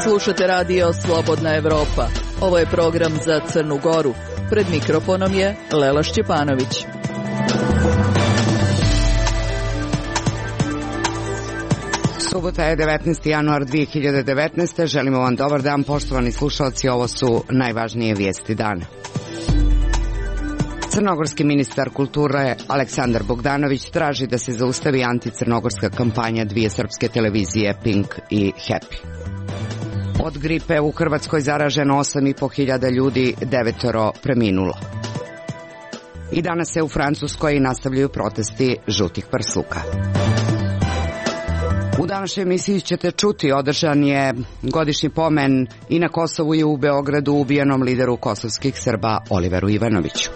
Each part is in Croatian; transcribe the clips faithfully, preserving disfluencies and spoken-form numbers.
Slušate radio Slobodna Evropa. Ovo je program za Crnu Goru. Pred mikrofonom je Lela Šćepanović. Subota je devetnaesti januar dve hiljade devetnaeste. Želimo vam dobar dan, poštovani slušalci. Ovo su najvažnije vijesti dana. Crnogorski ministar kulture Aleksandar Bogdanović traži da se zaustavi anticrnogorska kampanja dvije srpske televizije Pink i Happy. Od gripe u Hrvatskoj zaraženo osam i po hiljada ljudi, devetoro preminulo. I danas se u Francuskoj nastavljaju protesti žutih prsluka. U današnjoj emisiji ćete čuti, održan je godišnji pomen i na Kosovu i u Beogradu ubijenom lideru kosovskih Srba Oliveru Ivanoviću.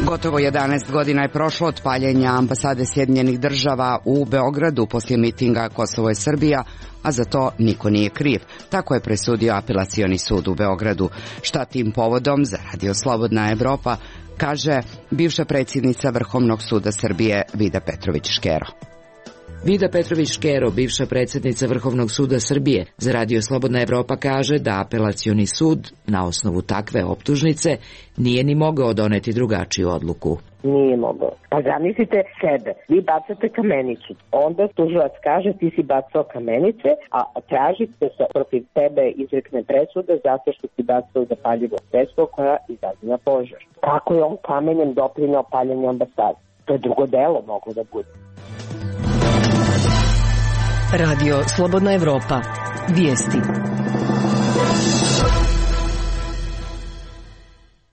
Gotovo jedanaest godina je prošlo od paljenja ambasade Sjedinjenih država u Beogradu poslije mitinga Kosovo je Srbija, a za to niko nije kriv. Tako je presudio apelacioni sud u Beogradu. Šta tim povodom za Radio Slobodna Evropa kaže bivša predsjednica Vrhovnog suda Srbije Vida Petrović-Škero. Vida Petrović-Škero, bivša predsjednica Vrhovnog suda Srbije, za Radio Slobodna Evropa kaže da apelacioni sud na osnovu takve optužnice nije ni mogao doneti drugačiju odluku. Nije mogao. Pa zamislite sebe, vi bacate kamenicu, onda tužilac kaže ti si bacao kamenice, a tražite se protiv tebe izrekne presuda zato što si bacao zapaljivo sredstvo koja izaziva požar. Kako je on kamenjem doprineo paljenju ambasade? To je drugo delo moglo da bude. Radio Slobodna Evropa. Vijesti.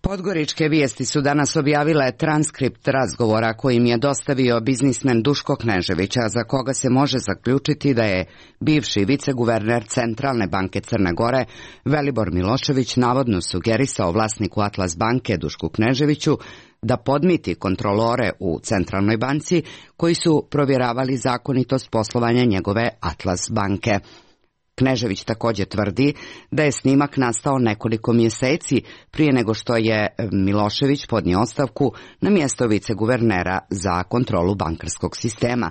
Podgoričke vijesti su danas objavile transkript razgovora kojim je dostavio biznismen Duško Knežević, a za koga se može zaključiti da je bivši viceguverner Centralne banke Crne Gore Velibor Milošević navodno sugerisao vlasniku Atlas banke Dušku Kneževiću da podmiti kontrolore u Centralnoj banci koji su provjeravali zakonitost poslovanja njegove Atlas banke. Knežević također tvrdi da je snimak nastao nekoliko mjeseci prije nego što je Milošević podnio ostavku na mjesto viceguvernera za kontrolu bankarskog sistema.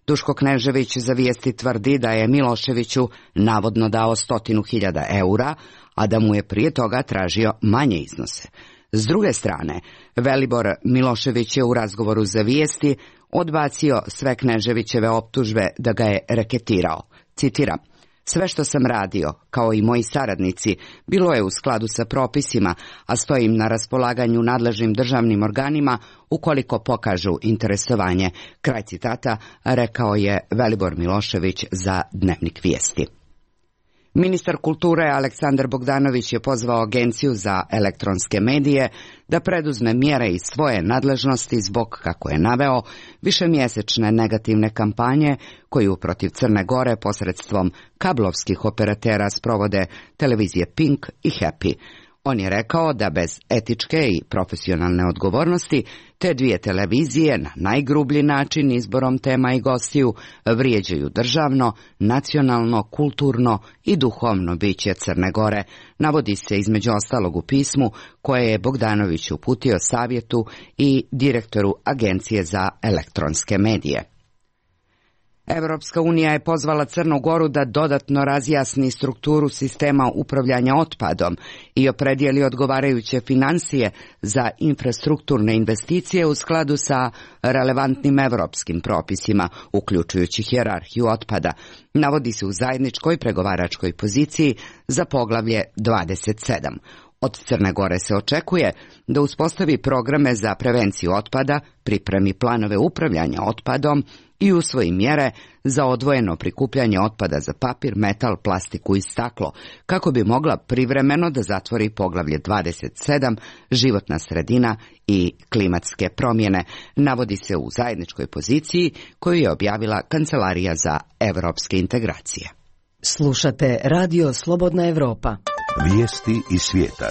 Duško Knežević za vijesti tvrdi da je Miloševiću navodno dao stotinu hiljada eura, a da mu je prije toga tražio manje iznose. S druge strane, Velibor Milošević je u razgovoru za vijesti odbacio sve Kneževićeve optužbe da ga je reketirao. Citiram: sve što sam radio, kao i moji saradnici, bilo je u skladu sa propisima, a stojim na raspolaganju nadležnim državnim organima ukoliko pokažu interesovanje. Kraj citata, rekao je Velibor Milošević za Dnevnik vijesti. Ministar kulture Aleksandar Bogdanović je pozvao Agenciju za elektronske medije da preduzme mjere iz svoje nadležnosti zbog, kako je naveo, višemjesečne negativne kampanje koju protiv Crne Gore posredstvom kablovskih operatera sprovode televizije Pink i Happy. On je rekao da bez etičke i profesionalne odgovornosti te dvije televizije na najgrublji način izborom tema i gostiju vrijeđaju državno, nacionalno, kulturno i duhovno biće Crne Gore, navodi se između ostalog u pismu koje je Bogdanović uputio savjetu i direktoru Agencije za elektronske medije. Europska unija je pozvala Crnu Goru da dodatno razjasni strukturu sistema upravljanja otpadom i opredijeli odgovarajuće financije za infrastrukturne investicije u skladu sa relevantnim europskim propisima, uključujući hijerarhiju otpada, navodi se u zajedničkoj pregovaračkoj poziciji za poglavlje dvadeset sedam. Od Crne Gore se očekuje da uspostavi programe za prevenciju otpada, pripremi planove upravljanja otpadom i usvoji mjere za odvojeno prikupljanje otpada za papir, metal, plastiku i staklo, kako bi mogla privremeno da zatvori poglavlje dvadeset sedam, životna sredina i klimatske promjene, navodi se u zajedničkoj poziciji koju je objavila Kancelarija za evropske integracije. Slušate Radio Slobodna Evropa. Vijesti iz svijeta.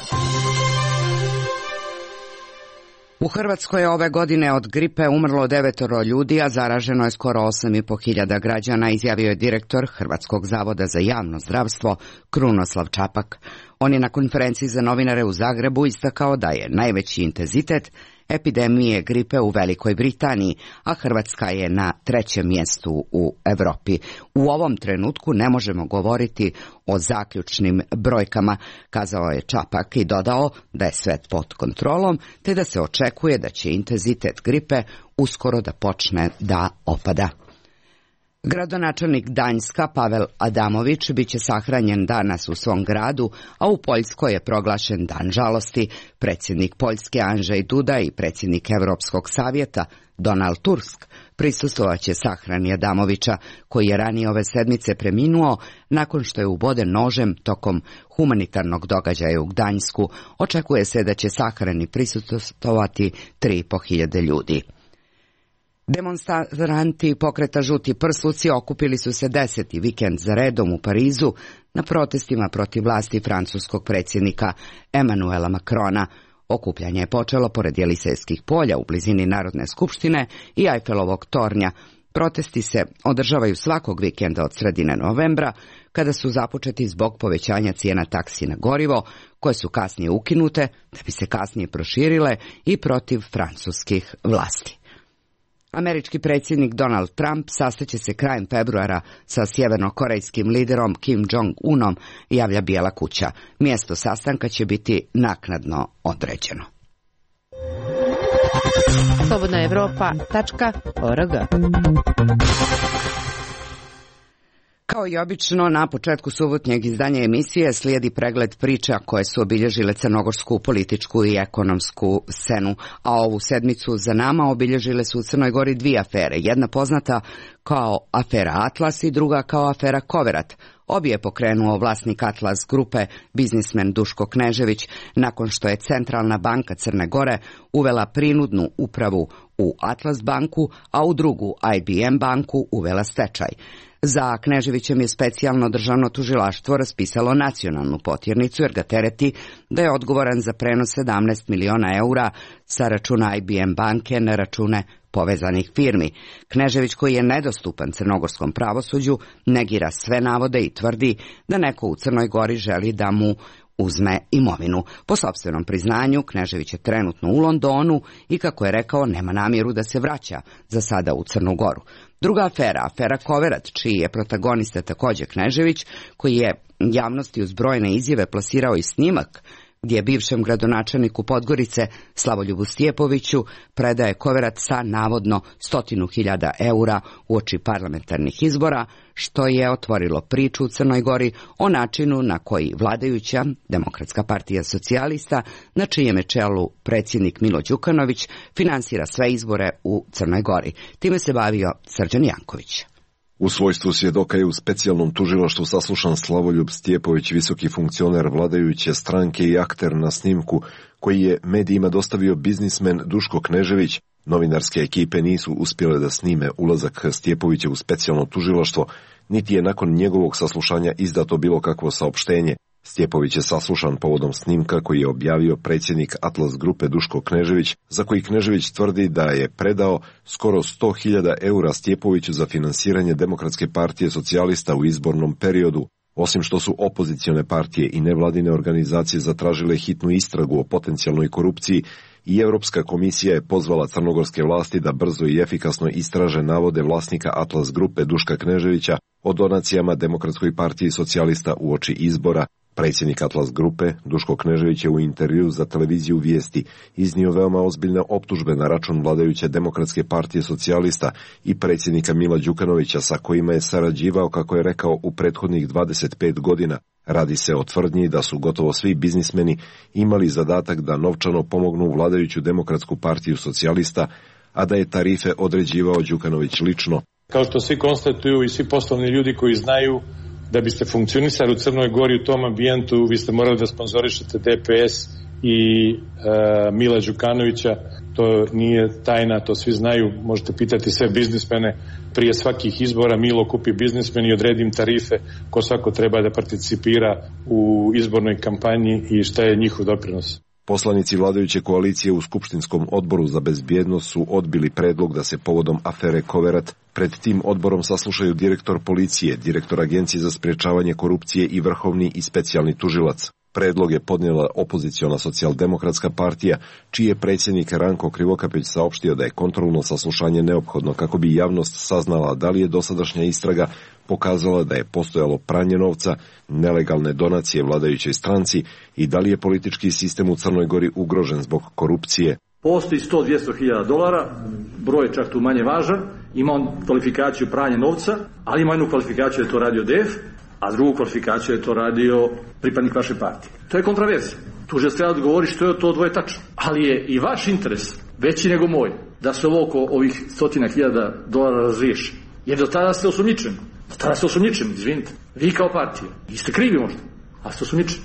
U Hrvatskoj je ove godine od gripe umrlo devetoro ljudi, a zaraženo je skoro osam i po hiljada građana, izjavio je direktor Hrvatskog zavoda za javno zdravstvo Krunoslav Čapak. On je na konferenciji za novinare u Zagrebu istakao da je najveći intenzitet epidemije gripe u Velikoj Britaniji, a Hrvatska je na trećem mjestu u Europi. U ovom trenutku ne možemo govoriti o zaključnim brojkama, kazao je Čapak i dodao da je sve pod kontrolom, te da se očekuje da će intenzitet gripe uskoro da počne da opada. Gradonačelnik Gdanjska Pavel Adamović biće sahranjen danas u svom gradu, a u Poljskoj je proglašen dan žalosti. Predsjednik Poljske Andrzej Duda i predsjednik Europskog savjeta Donald Tusk prisustvovaće sahrani Adamovića, koji je ranije ove sedmice preminuo nakon što je uboden nožem tokom humanitarnog događaja u Gdanjsku. Očekuje se da će sahrani prisustvovati tri i po hiljade ljudi. Demonstranti pokreta Žuti prsluci okupili su se deseti vikend za redom u Parizu na protestima protiv vlasti francuskog predsjednika Emmanuela Macrona. Okupljanje je počelo pored Jelisejskih polja u blizini Narodne skupštine i Eiffelovog tornja. Protesti se održavaju svakog vikenda od sredine novembra, kada su započeti zbog povećanja cijena taksi na gorivo, koje su kasnije ukinute, da bi se kasnije proširile i protiv francuskih vlasti. Američki predsjednik Donald Trump sastaće se krajem februara sa sjevernokorejskim liderom Kim Jong-unom, javlja Bijela kuća. Mjesto sastanka će biti naknadno određeno. slobodna evropa tačka org. Kao i obično, na početku subotnjeg izdanja emisije slijedi pregled priča koje su obilježile crnogorsku političku i ekonomsku scenu, a ovu sedmicu za nama obilježile su u Crnoj Gori dvije afere, jedna poznata kao afera Atlas i druga kao afera Koverat. Obje je pokrenuo vlasnik Atlas grupe, biznismen Duško Knežević, nakon što je Centralna banka Crne Gore uvela prinudnu upravu u Atlas banku, a u drugu I B M banku uvela stečaj. Za Kneževićem je specijalno državno tužilaštvo raspisalo nacionalnu potjernicu jer ga tereti da je odgovoran za prenos sedamnaest miliona eura sa računa I B M banke na račune povezanih firmi. Knežević, koji je nedostupan crnogorskom pravosuđu, negira sve navode i tvrdi da neko u Crnoj Gori želi da mu uzme imovinu. Po sopstvenom priznanju, Knežević je trenutno u Londonu i, kako je rekao, nema namjeru da se vraća za sada u Crnu Goru. Druga afera, afera Koverat, čiji je protagonista također Knežević, koji je javnosti uz brojne izjave plasirao i snimak gdje je bivšem gradonačelniku Podgorice Slavoljubu Stjepoviću predaje Koverat sa navodno stotinu hiljada eura uoči parlamentarnih izbora, što je otvorilo priču u Crnoj Gori o načinu na koji vladajuća Demokratska partija socijalista, na čijem je čelu predsjednik Milo Đukanović, finansira sve izbore u Crnoj Gori. Time se bavio Srđan Janković. U svojstvu svjedoka je u specijalnom tužilaštvu saslušan Slavoljub Stjepović, visoki funkcioner vladajuće stranke i akter na snimku, koji je medijima dostavio biznismen Duško Knežević. Novinarske ekipe nisu uspjele da snime ulazak Stjepovića u specijalno tužilaštvo, niti je nakon njegovog saslušanja izdato bilo kakvo saopštenje. Stjepović je saslušan povodom snimka koji je objavio predsjednik Atlas grupe Duško Knežević, za koji Knežević tvrdi da je predao skoro sto hiljada eura Stjepoviću za finansiranje Demokratske partije socijalista u izbornom periodu. Osim što su opozicione partije i nevladine organizacije zatražile hitnu istragu o potencijalnoj korupciji, i Europska komisija je pozvala crnogorske vlasti da brzo i efikasno istraže navode vlasnika Atlas grupe Duška Kneževića o donacijama Demokratskoj partiji socijalista uoči izbora. Predsjednik Atlas grupe Duško Knežević je u intervju za televiziju Vijesti iznio veoma ozbiljne optužbe na račun vladajuće Demokratske partije socijalista i predsjednika Mila Đukanovića, sa kojima je sarađivao, kako je rekao, u prethodnih dvadeset pet godina. Radi se o tvrdnji da su gotovo svi biznismeni imali zadatak da novčano pomognu vladajuću Demokratsku partiju socijalista, a da je tarife određivao Đukanović lično. Kao što svi konstatuju i svi poslovni ljudi koji znaju, da biste funkcionisali u Crnoj Gori u tom ambijentu, vi ste morali da sponzorišete D P S i e, Mila Đukanovića. To nije tajna, to svi znaju, možete pitati sve biznismene. Prije svakih izbora Milo kupi biznismen i odredi im tarife ko svako treba da participira u izbornoj kampanji i šta je njihov doprinos. Poslanici vladajuće koalicije u Skupštinskom odboru za bezbjednost su odbili predlog da se povodom afere Koverat pred tim odborom saslušaju direktor policije, direktor Agencije za sprječavanje korupcije i vrhovni i specijalni tužilac. Predlog je podnijela opoziciona socijaldemokratska partija, čiji je predsjednik Ranko Krivokapić saopštio da je kontrolno saslušanje neophodno kako bi javnost saznala da li je dosadašnja istraga pokazala da je postojalo pranje novca, nelegalne donacije vladajućoj stranci i da li je politički sistem u Crnoj Gori ugrožen zbog korupcije. Postoji sto do dvjesto hiljada dolara, broj je čak tu manje važan, ima on kvalifikaciju pranja novca, ali ima jednu kvalifikaciju da je to radio D F, a drugu kvalifikaciju je to radio pripadnik vaše partije. To je kontraverzija. Tužilac treba odgovori što je to dvoje tačno. Ali je i vaš interes veći nego moj da se ovo oko ovih stotina hiljada dolara razriješi. Jer do tada ste osumnjičeni. Do tada ste osumnjičeni, izvinite. Vi kao partija. Vi ste krivi možda, a ste osumnjičeni.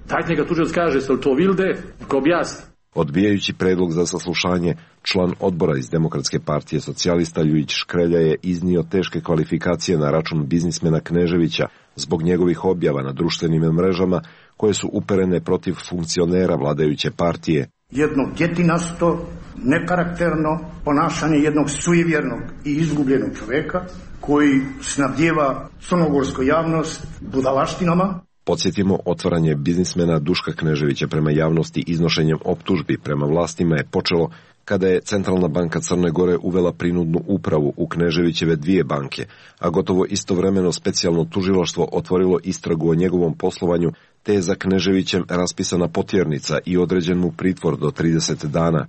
Dajte neka tužilac kaže, jeste li to vi ili D F? Neka objasni. Odbijajući predlog za saslušanje, član odbora iz Demokratske partije socijalista Ljujić Škrelja je iznio teške kvalifikacije na račun biznismena Kneževića zbog njegovih objava na društvenim mrežama koje su uperene protiv funkcionera vladajuće partije. Jedno djetinasto, nekarakterno ponašanje jednog sujevjernog i izgubljenog čovjeka koji snabdijeva crnogorsku javnost budalaštinama. Podsjetimo, otvaranje biznismena Duška Kneževića prema javnosti iznošenjem optužbi prema vlastima je počelo kada je Centralna banka Crne Gore uvela prinudnu upravu u Kneževićeve dvije banke, a gotovo istovremeno specijalno tužilaštvo otvorilo istragu o njegovom poslovanju, te je za Kneževićem raspisana potjernica i određen mu pritvor do trideset dana.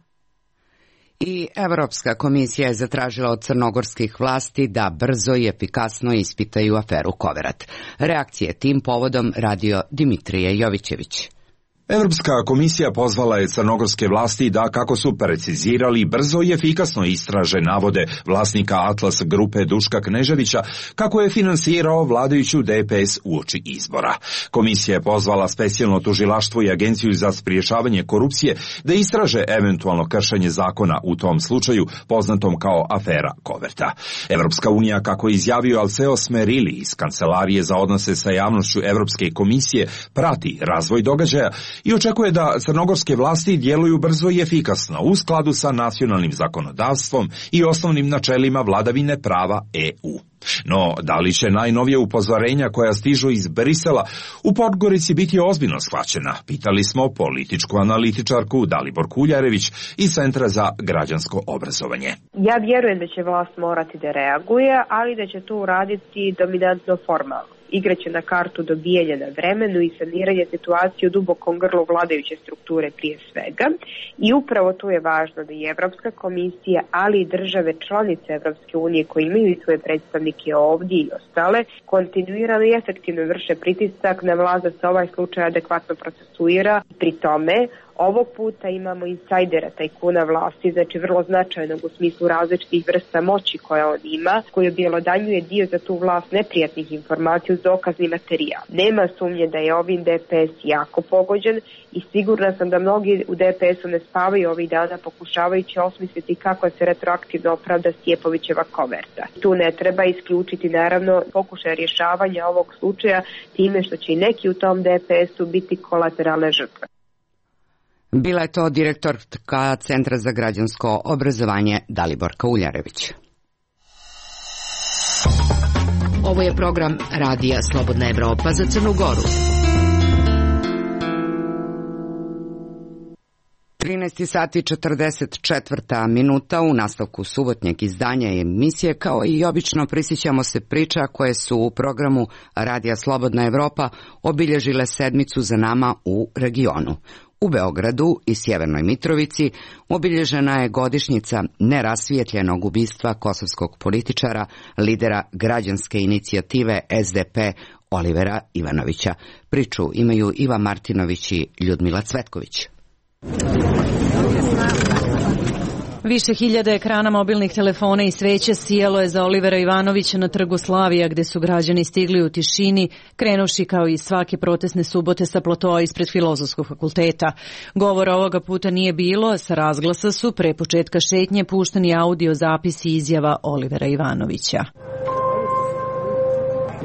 I Evropska komisija je zatražila od crnogorskih vlasti da brzo i efikasno ispitaju aferu Koverat. Reakcije tim povodom radio Dimitrije Jovićević. Evropska komisija pozvala je crnogorske vlasti da, kako su precizirali, brzo i efikasno istraže navode vlasnika Atlas grupe Duška Kneževića kako je finansirao vladajuću D P S uoči izbora. Komisija je pozvala specijalno tužilaštvo i Agenciju za sprječavanje korupcije da istraže eventualno kršenje zakona u tom slučaju poznatom kao afera Koverta. Evropska unija, kako je izjavio Alceo Smerili iz Kancelarije za odnose sa javnošću Evropske komisije, prati razvoj događaja i očekuje da crnogorske vlasti djeluju brzo i efikasno u skladu sa nacionalnim zakonodavstvom i osnovnim načelima vladavine prava E U. No, da li će najnovije upozorenja koja stižu iz Brisela u Podgorici biti ozbiljno shvaćena? Pitali smo političku analitičarku Dalibor Kuljarević iz Centra za građansko obrazovanje. Ja vjerujem da će vlast morati da reaguje, ali da će to uraditi dominantno formalno. Igraće na kartu dobijanja na vremenu i saniranje situacije u dubokom grlu vladajuće strukture prije svega. I upravo tu je važno da i Evropska komisija, ali i države članice Evropske unije koje imaju i svoje predstavnike ovdje i ostale, kontinuirano i efektivno vrše pritisak na vlast da se ovaj slučaj adekvatno procesuira. Pri tome, ovog puta imamo insajdera, tajkuna vlasti, znači vrlo značajnog u smislu različitih vrsta moći koja on ima, koji objelodanjuje dio za tu vlast neprijatnih informacija uz dokazni materijal. Nema sumnje da je ovim D P S jako pogođen i sigurna sam da mnogi u D P S-u ne spavaju ovih dana pokušavajući osmisliti kako se retroaktivno opravda Stjepovićeva koverta. Tu ne treba isključiti naravno pokušaj rješavanja ovog slučaja time što će i neki u tom D P S-u biti kolateralne žrtve. Bila je to direktorka Centra za građansko obrazovanje Daliborka Uljarević. Ovo je program Radija Slobodna Evropa za Crnu Goru. trinaest sati četrdeset četvrta minuta u nastavku subotnjeg izdanja emisije, kao i obično prisjećamo se priča koje su u programu Radija Slobodna Evropa obilježile sedmicu za nama u regionu. U Beogradu i Sjevernoj Mitrovici obilježena je godišnjica nerasvijetljenog ubistva kosovskog političara, lidera građanske inicijative S D P Olivera Ivanovića. Priču imaju Iva Martinović i Ljudmila Cvetković. Više hiljada ekrana mobilnih telefona i sveća sijalo je za Olivera Ivanovića na trgu Slavija, gde su građani stigli u tišini, krenuši kao i svake protestne subote sa platoa ispred Filozofskog fakulteta. Govora ovoga puta nije bilo, sa razglasa su pre početka šetnje pušteni audio zapisi izjava Olivera Ivanovića.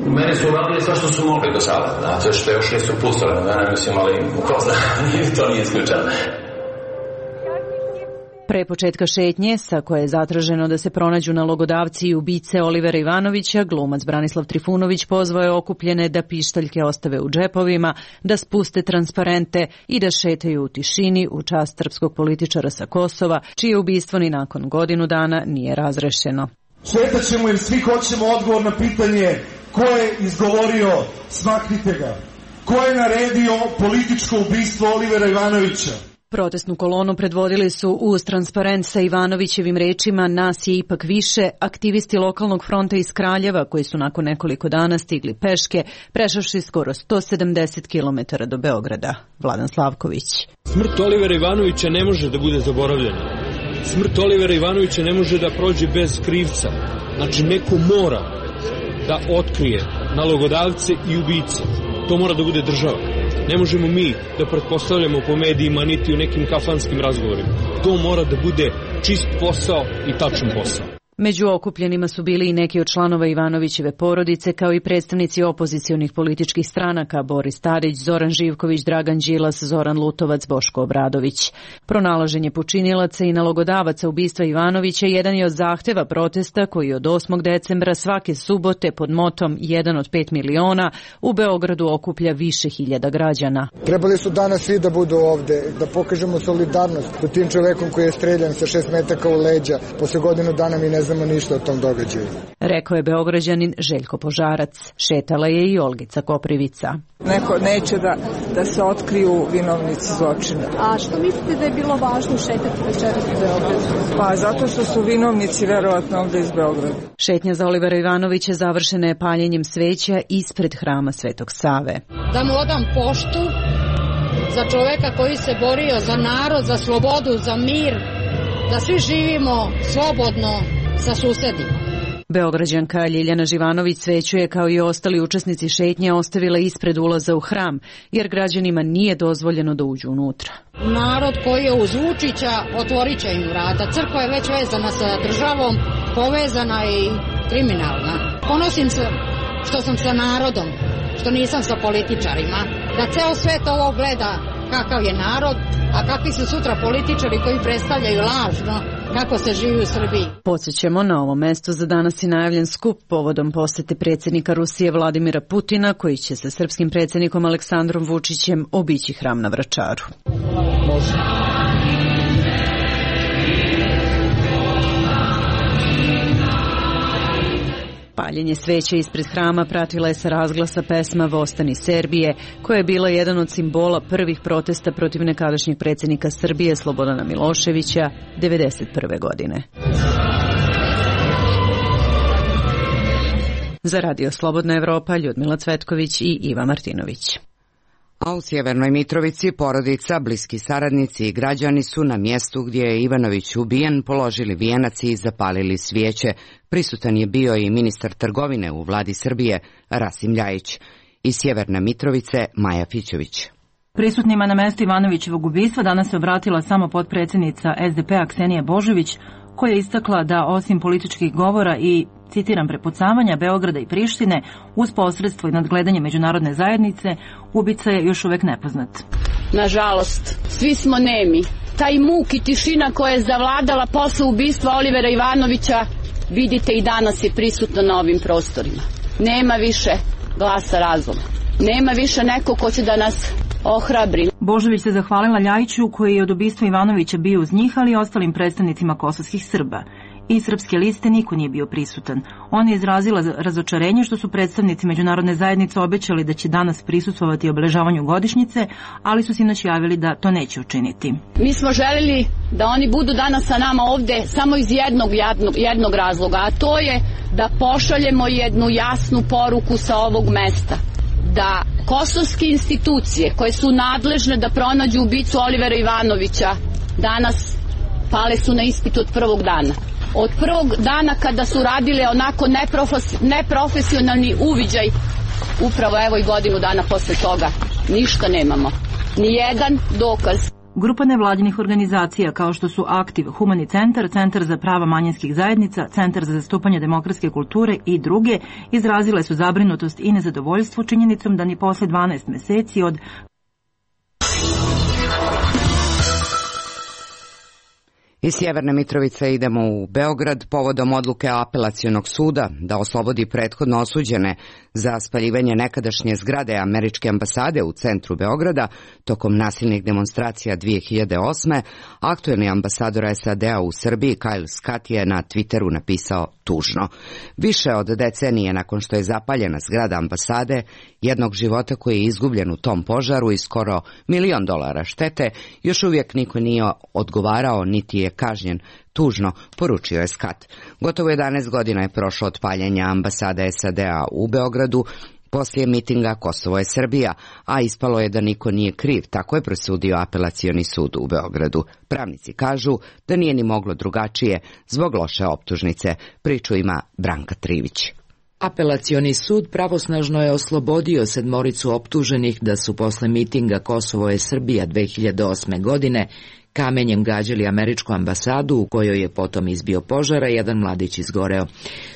Meni su uradili sve što su mogli do sada, znate, što još nisu pustili, mene mislim, ali ko zna, to nije isključeno. Pre početka šetnje, sa koje je zatraženo da se pronađu nalogodavci i ubice Olivera Ivanovića, glumac Branislav Trifunović pozvao je okupljene da pištaljke ostave u džepovima, da spuste transparente i da šetaju u tišini u čast srpskog političara sa Kosova, čije ubistvo ni nakon godinu dana nije razrešeno. Šetat ćemo jer svi hoćemo odgovor na pitanje ko je izgovorio smaknite ga, ko je naredio političko ubistvo Olivera Ivanovića. Protestnu kolonu predvodili su uz transparent sa Ivanovićevim rečima "Nas je ipak više" aktivisti lokalnog fronta iz Kraljeva koji su nakon nekoliko dana stigli peške, prešavši skoro sto sedamdeset kilometara do Beograda. Vladan Slavković. Smrt Olivera Ivanovića ne može da bude zaboravljena. Smrt Olivera Ivanovića ne može da prođe bez krivca. Znači neko mora da otkrije nalogodavce i ubice. To mora da bude država. Ne možemo mi da pretpostavljamo po medijima niti u nekim kafanskim razgovorima. To mora da bude čist posao i tačan posao. Među okupljenima su bili i neki od članova Ivanovićeve porodice, kao i predstavnici opozicionih političkih stranaka Boris Tadić, Zoran Živković, Dragan Đilas, Zoran Lutovac, Boško Obradović. Pronalaženje počinilaca i nalogodavaca ubistva Ivanovića jedan je od zahteva protesta koji od osmog decembra svake subote pod motom jedan od pet miliona u Beogradu okuplja više hiljada građana. Trebali su danas svi da budu ovde, da pokažemo solidarnost sa tim čovekom koji je streljan sa šest metaka u leđa. Posle godinu dana mi ne znamo ništa o tom događaju. Rekao je Beograđanin Željko Požarac. Šetala je i Olgica Koprivica. Neko neće da, da se otkriju vinovnici zločina. A što mislite da je bilo važno šetati večeras u Beogradu? Pa zato što su vinovnici verovatno ovde iz Beograda. Šetnja za Olivera Ivanovića završena je paljenjem sveća ispred hrama Svetog Save. Da mu odam poštu za čoveka koji se borio za narod, za slobodu, za mir, da svi živimo slobodno sa susedima. Beograđanka Ljiljana Živanović sveću je kao i ostali učesnici šetnje ostavila ispred ulaza u hram, jer građanima nije dozvoljeno da uđu unutra. Narod koji je uz Vučića otvorit će im vrata. Crkva je već vezana sa državom, povezana i kriminalna. Ponosim se što sam sa narodom, što nisam sa političarima, da ceo svet ovo gleda kakav je narod, a kakvi su sutra političari koji predstavljaju lažno kako se živi u Srbiji. Podsjećamo, na ovom mestu za danas je najavljen skup povodom posete predsjednika Rusije Vladimira Putina, koji će sa srpskim predsjednikom Aleksandrom Vučićem obići hram na Vračaru. Može. Paljenje sveća ispred hrama pratila je sa razglasa pesma Vostani Serbije, koja je bila jedan od simbola prvih protesta protiv nekadašnjeg predsjednika Srbije Slobodana Miloševića devedeset prve godine. Za Radio Slobodna Evropa, Ljudmila Cvetković i Iva Martinović. A u Sjevernoj Mitrovici porodica, bliski saradnici i građani su na mjestu gdje je Ivanović ubijen položili vijenac i zapalili svijeće. Prisutan je bio i ministar trgovine u vladi Srbije, Rasim Ljajić. Iz Sjeverne Mitrovice, Maja Fićović. Prisutnima na mjestu Ivanovićevog ubistva danas se obratila samo potpredsjednica S D P-a Ksenija Božović, koja je istakla da osim političkih govora i, citiram, prepucavanja Beograda i Prištine, uz posredstvo i nadgledanje međunarodne zajednice, ubica je još uvek nepoznat. Nažalost, svi smo nemi. Taj muk i tišina koja je zavladala posle ubistva Olivera Ivanovića, vidite i danas je prisutno na ovim prostorima. Nema više glasa razuma. Nema više neko ko će da nas ohrabri. Božović se zahvalila Ljajiću, koji je od ubistva Ivanovića bio uz njih, ali i ostalim predstavnicima kosovskih Srba. I srpske liste niko nije bio prisutan. On je izrazila razočarenje što su predstavnici međunarodne zajednice obećali da će danas prisustvovati obeležavanju godišnjice, ali su sinoć javili da to neće učiniti. Mi smo želeli da oni budu danas sa nama ovde samo iz jednog, jednog, jednog razloga, a to je da pošaljemo jednu jasnu poruku sa ovog mesta. Da kosovske institucije koje su nadležne da pronađu ubicu Olivera Ivanovića danas pale su na ispit od prvog dana. Od prvog dana kada su radile onako neprofes, neprofesionalni uviđaj, upravo evo i godinu dana posle toga, ništa nemamo. Nijedan dokaz. Grupa nevladinih organizacija kao što su Aktiv, Humani centar, Centar za prava manjinskih zajednica, Centar za zastupanje demokratske kulture i druge izrazile su zabrinutost i nezadovoljstvo činjenicom da ni posle dvanaest meseci od Iz Sjeverne Mitrovice idemo u Beograd povodom odluke Apelacionog suda da oslobodi prethodno osuđene za spaljivanje nekadašnje zgrade američke ambasade u centru Beograda tokom nasilnih demonstracija dvije hiljade osme. Aktuelni ambasador S A D-a u Srbiji Kyle Scott je na Twitteru napisao tužno. Više od decenije nakon što je zapaljena zgrada ambasade, jednog života koji je izgubljen u tom požaru i skoro milion dolara štete, još uvijek niko nije odgovarao niti je kažnjen. Tužno, poručio je Scott. Gotovo jedanaest godina je prošlo od paljenja ambasade S A D-a u Beogradu poslije mitinga Kosovo je Srbija, a ispalo je da niko nije kriv, tako je presudio Apelacioni sud u Beogradu. Pravnici kažu da nije ni moglo drugačije zbog loše optužnice. Priču ima Branka Trivić. Apelacioni sud pravosnažno je oslobodio sedmoricu optuženih da su posle mitinga Kosovo je Srbija dve hiljade osme. godine kamenjem gađali američku ambasadu u kojoj je potom izbio požar, a jedan mladić izgoreo.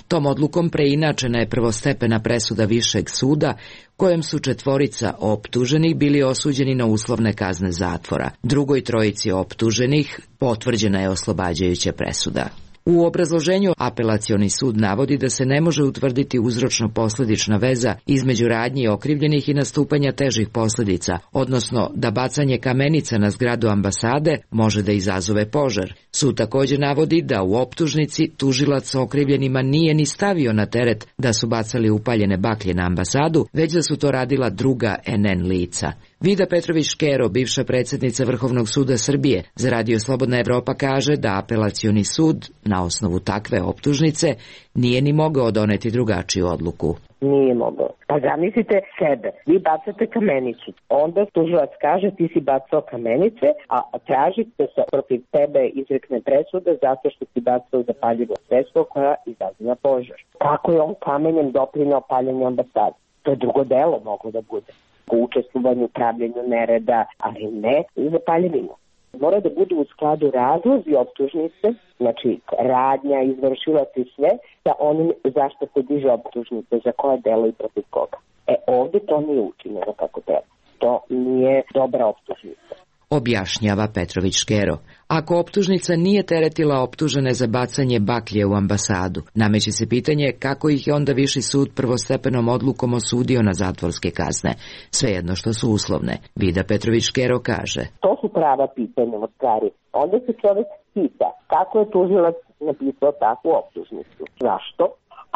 Tom odlukom preinačena je prvostepena presuda Višeg suda, kojem su četvorica optuženih bili osuđeni na uslovne kazne zatvora. Drugoj trojici optuženih potvrđena je oslobađajuća presuda. U obrazloženju Apelacioni sud navodi da se ne može utvrditi uzročno-posledična veza između radnji okrivljenih i nastupanja težih posljedica, odnosno da bacanje kamenica na zgradu ambasade može da izazove požar. Sud također navodi da u optužnici tužilac okrivljenima nije ni stavio na teret da su bacali upaljene baklje na ambasadu, već da su to radila druga N N lica. Vida Petrović-Škero, bivša predsjednica Vrhovnog suda Srbije, za Radio Slobodna Evropa kaže da Apelacioni sud na osnovu takve optužnice nije ni mogao doneti drugačiju odluku. Nije mogao. Pa zamislite sebe, vi bacate kamenicu, onda tužilac kaže ti si bacao kamenice, a tražite se protiv tebe izrekne presuda zato što si bacao zapaljivo sredstvo koja izaziva požar. Kako je on kamenjem doprineo paljenju ambasade? To je drugo delo moglo da bude. U učestvovanju, upravljanju nereda, ali ne zapaljivinu. Mora da budu u skladu razlozi optužnice, znači radnja, izvršilac i sve, sa onim zašto se diže optužnice, za koje delo i protiv koga. E ovdje to nije učinjeno kako treba. To nije dobra optužnica. Objašnjava Petrović-Škero. Ako optužnica nije teretila optužene za bacanje baklje u ambasadu, nameće se pitanje kako ih je onda Viši sud prvostepenom odlukom osudio na zatvorske kazne, svejedno što su uslovne. Vida Petrović-Škero kaže. To su prava pitanja od stvari. Onda se čovjek pita kako je tužilac napisao takvu optužnicu. Zašto?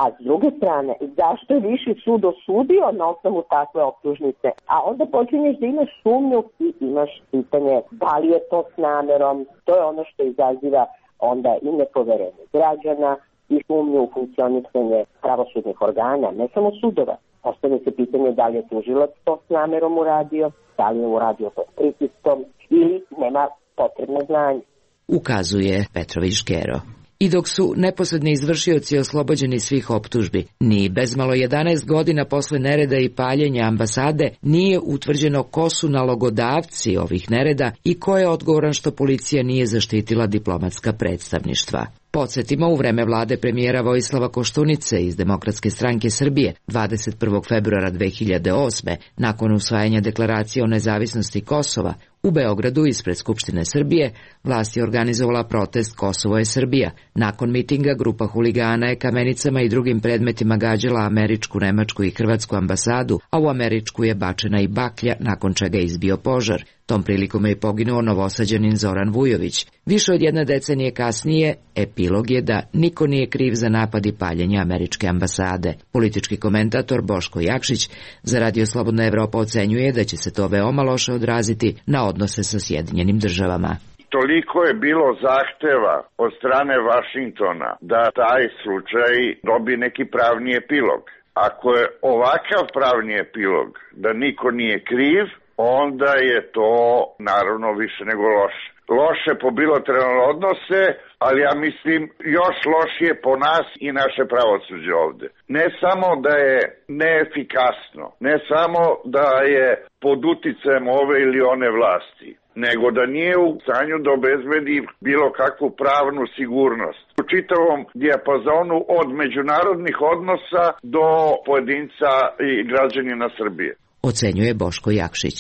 A s druge strane, zašto je Viši sud osudio na osnovu takve optužnice? A onda počinješ da imaš sumnju i imaš pitanje da li je to s namerom. To je ono što izaziva onda i nepoverenje građana i sumnju u funkcionisanje pravosudnih organa, ne samo sudova. Postavlja se pitanje da li je tužilac to s namerom uradio, da li je uradio to s pritiskom ili nema potrebno znanje. Ukazuje Petrović-Škero. I dok su neposredni izvršioci oslobođeni svih optužbi, ni bezmalo jedanaest godina posle nereda i paljenja ambasade nije utvrđeno ko su nalogodavci ovih nereda i ko je odgovoran što policija nije zaštitila diplomatska predstavništva. Podsjetimo, u vreme vlade premijera Vojislava Koštunice iz Demokratske stranke Srbije dvadeset prvog februara dve hiljade osme. nakon usvajanja deklaracije o nezavisnosti Kosova, u Beogradu ispred Skupštine Srbije vlast je organizovala protest Kosovo je Srbija. Nakon mitinga grupa huligana je kamenicama i drugim predmetima gađala američku, nemačku i hrvatsku ambasadu, a u američku je bačena i baklja, nakon čega je izbio požar. Tom prilikom je poginuo novosađanin Zoran Vujović. Više od jedne decenije kasnije, epilog je da niko nije kriv za napad i paljenje američke ambasade. Politički komentator Boško Jakšić za Radio Slobodna Evropa ocenjuje da će se to veoma loše odraziti na odnose sa Sjedinjenim državama. Toliko je bilo zahteva od strane Vašingtona da taj slučaj dobi neki pravni epilog. Ako je ovakav pravni epilog da niko nije kriv, onda je to naravno više nego loše. Loše po bilateralne odnose, ali ja mislim još lošije po nas i naše pravosuđe ovde. Ne samo da je neefikasno, ne samo da je pod uticajem ove ili one vlasti, nego da nije u stanju da obezbedi bilo kakvu pravnu sigurnost. U čitavom dijapazonu od međunarodnih odnosa do pojedinca i građanina Srbije. Ocenjuje Boško Jakšić.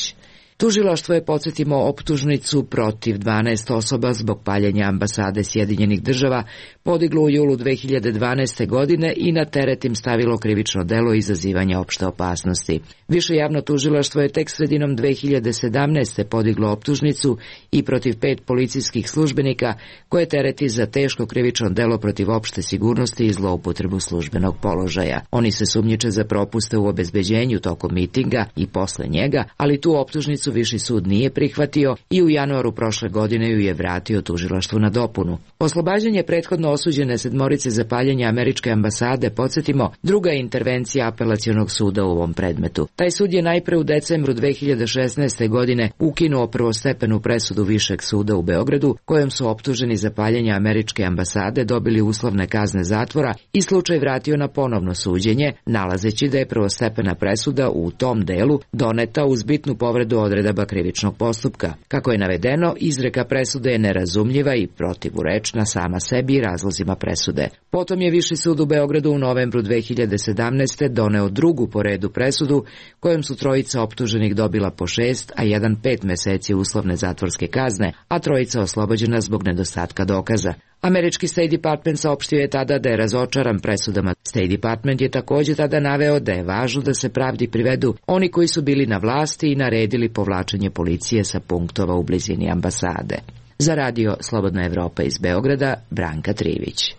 Tužilaštvo je, podsjetimo, optužnicu protiv dvanaest osoba zbog paljenja ambasade Sjedinjenih država podiglo u julu dve hiljade dvanaeste. godine i na teret im stavilo krivično delo izazivanja opšte opasnosti. Više javno tužilaštvo je tek sredinom dve hiljade sedamnaeste. podiglo optužnicu i protiv pet policijskih službenika koje tereti za teško krivično delo protiv opšte sigurnosti i zloupotrebu službenog položaja. Oni se sumnjiče za propuste u obezbeđenju tokom mitinga i posle njega, ali tu optužnicu Viši sud nije prihvatio i u januaru prošle godine ju je vratio tužilaštvu na dopunu. Oslobađanje prethodno osuđene sedmorice za paljenje američke ambasade, podsjetimo, druga intervencija apelacionog suda u ovom predmetu. Taj sud je najpre u decembru dve hiljade šesnaeste. godine ukinuo prvostepenu presudu Višeg suda u Beogradu, kojom su optuženi za paljenje američke ambasade dobili uslovne kazne zatvora i slučaj vratio na ponovno suđenje, nalazeći da je prvostepena presuda u tom delu doneta uz bitnu povredu odredaba krivičnog postupka. Kako je navedeno, izreka presude je nerazumljiva i protivurečna sama sebi i razlozima presude. Potom je Viši sud u Beogradu u novembru dve hiljade sedamnaeste. doneo drugu po redu presudu, kojom su trojica optuženih dobila po šest, a jedan pet meseci uslovne zatvorske kazne, a trojica oslobođena zbog nedostatka dokaza. Američki State Department saopštio je tada da je razočaran presudama. State Department je također tada naveo da je važno da se pravdi privedu oni koji su bili na vlasti i naredili povlačenje policije sa punktova u blizini ambasade. Za radio Slobodna Evropa iz Beograda, Branka Trivić.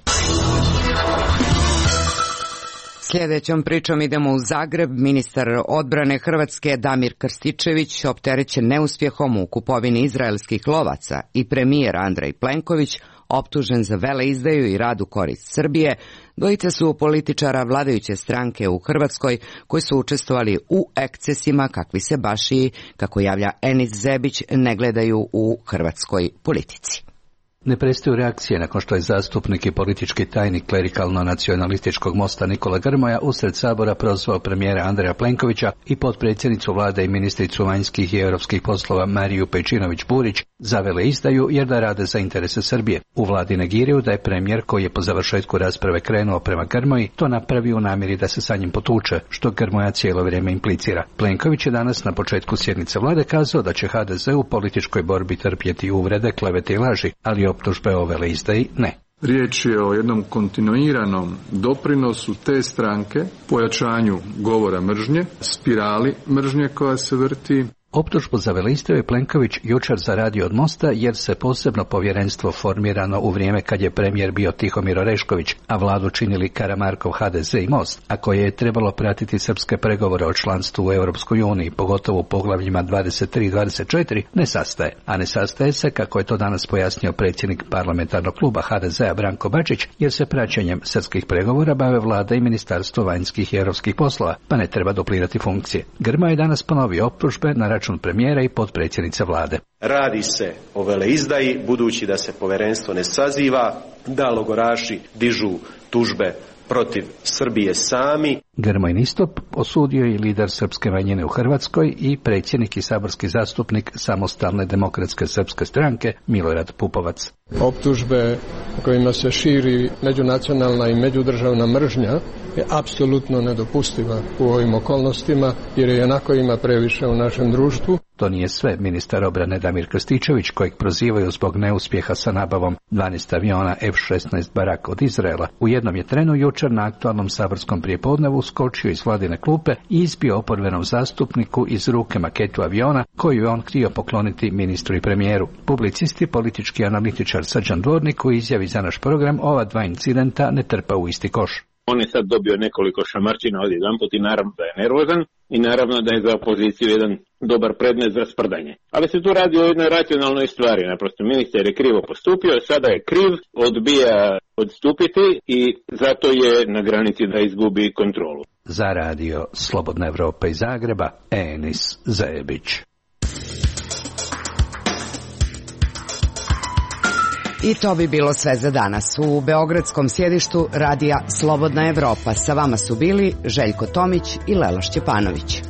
Sljedećom pričom idemo u Zagreb. Ministar odbrane Hrvatske Damir Krstičević opterećen neuspjehom u kupovini izraelskih lovaca i premijer Andrej Plenković optužen za veleizdaju i rad u korist Srbije. Dvojica su političara vladajuće stranke u Hrvatskoj koji su učestvovali u ekscesima kakvi se baš i, kako javlja Enis Zebić, ne gledaju u hrvatskoj politici. Ne prestaju reakcije nakon što je zastupnik i politički tajnik klerikalno-nacionalističkog Mosta Nikola Grmoja usred Sabora prozvao premijera Andreja Plenkovića i potpredsjednicu vlade i ministricu vanjskih i europskih poslova Mariju Pejčinović-Burić za veleizdaju jer da rade za interese Srbije. U vladi negiraju da je premijer, koji je po završetku rasprave krenuo prema Grmoji, to napravio u namjeri da se sa njim potuče, što Grmoja cijelo vrijeme implicira. Plenković je danas na početku sjednice vlade kazao da će ha de ze u političkoj borbi trpjeti uvrede, klevete i laži, ali optužbe o veleizdaji ne. Riječ je o jednom kontinuiranom doprinosu te stranke, pojačanju govora mržnje, spirali mržnje koja se vrti. Optužbu za veleizdaju je Plenković jučer zaradio od Mosta jer se posebno povjerenstvo formirano u vrijeme kad je premijer bio Tihomir Orešković, a vladu činili Karamarkov ha de ze i Most, a koje je trebalo pratiti srpske pregovore o članstvu u Europskoj uniji, pogotovo u poglavljima dvadeset tri i dvadeset četiri, ne sastaje. A ne sastaje se, kako je to danas pojasnio predsjednik parlamentarnog kluba ha de zea Branko Bačić, jer se praćenjem srpskih pregovora bave vlada i ministarstvo vanjskih i europskih poslova, pa ne treba duplirati funkcije. Grmoja je danas ponovio optužbe na račun premijera i potpredsjednice vlade. Radi se o veleizdaji, budući da se povjerenstvo ne saziva, da logoraši dižu tužbe protiv Srbije sami. Grmojin istup osudio je lider srpske manjine u Hrvatskoj i predsjednik i saborski zastupnik Samostalne demokratske srpske stranke Milorad Pupovac. Optužbe kojima se širi međunacionalna i međudržavna mržnja je apsolutno nedopustiva u ovim okolnostima, jer je onako ima previše u našem društvu. To nije sve. Ministar obrane Damir Krstičević, kojeg prozivaju zbog neuspjeha sa nabavom dvanaest aviona ef šesnaest Barak od Izraela, u jednom je trenu jučer na aktualnom saborskom prijepodnevu skočio iz vladine klupe i izbio oporbenom zastupniku iz ruke maketu aviona koju je on htio pokloniti ministru i premijeru. Publicisti, politički analitičar Srđan Dvornik u izjavi za naš program ova dva incidenta ne trpa u isti koš. On je sad dobio nekoliko šamarčina odjedanput i naravno da je nervozan i naravno da je za opoziciju jedan dobar predmet za sprdanje. Ali se tu radi o jednoj racionalnoj stvari. Naprosto ministar je krivo postupio, sada je kriv, odbija odstupiti i zato je na granici da izgubi kontrolu. Za radio Slobodna Evropa iz Zagreba, Enis Zebić. I to bi bilo sve za danas. U beogradskom sjedištu radija Slobodna Evropa sa vama su bili Željko Tomić i Lela Šćepanović.